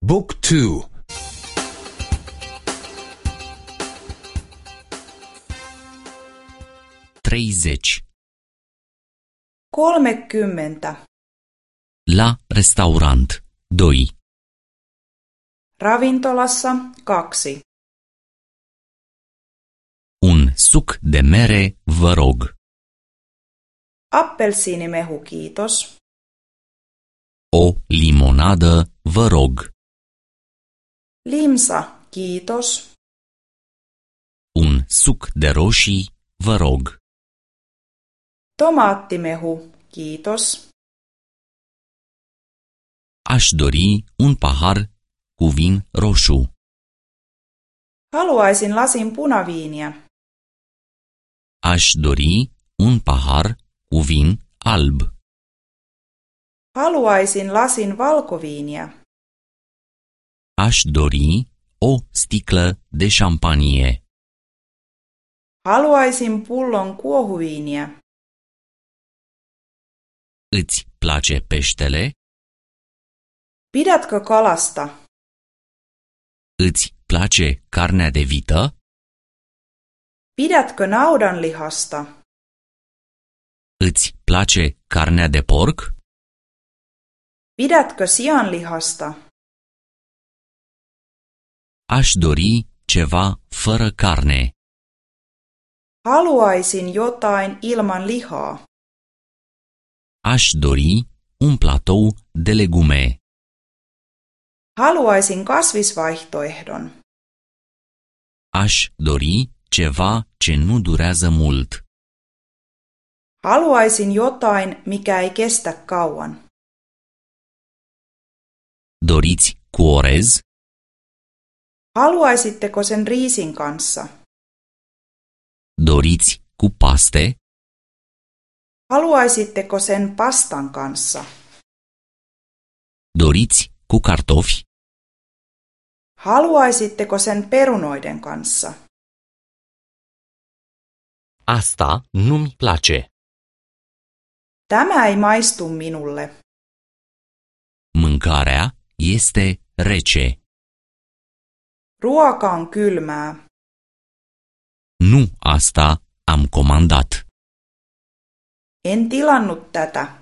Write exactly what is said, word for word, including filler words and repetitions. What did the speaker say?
Book two. treizeci. Kolmekymmentä. La restaurant. doi. Ravintolassa kaksi. Un suc de mere, vă rog. Appelsiinimehu, kiitos. O limonadă, vă rog. Limsa, kiitos. Un suc de roșii, vă rog. Tomaattimehu, kiitos. Aș dori un pahar cu vin roșu. Haluaisin lasin punaviiniä. Aș dori un pahar cu vin alb. Haluaisin lasin valkoviiniä. Aș dori o sticlă de șampanie. Haluaisin pullon kuohuviiniä. Îți place peștele? Pidätkö kalasta? Îți place carnea de vită? Pidätkö naudanlihasta? Îți place carnea de porc? Pidätkö sianlihasta? Aș dori ceva fără carne. Haluaisin jotain ilman lihaa. Aș dori un platou de legume. Haluaisin kasvisvaihtoehdon. Aș dori ceva ce nu durează mult. Haluaisin jotain, mikä ei kestä kauan. Doriți cu orez? Haluaisitteko sen riisin kanssa? Doriți cu paste? Haluaisitteko sen pastan kanssa? Doriți cu cartofi? Haluaisitteko sen perunoiden kanssa? Asta nu-mi place. Tämä ei maistu minulle. Mâncarea este rece. Ruoka on kylmää. Nu asta am comandat. En tilannut tätä.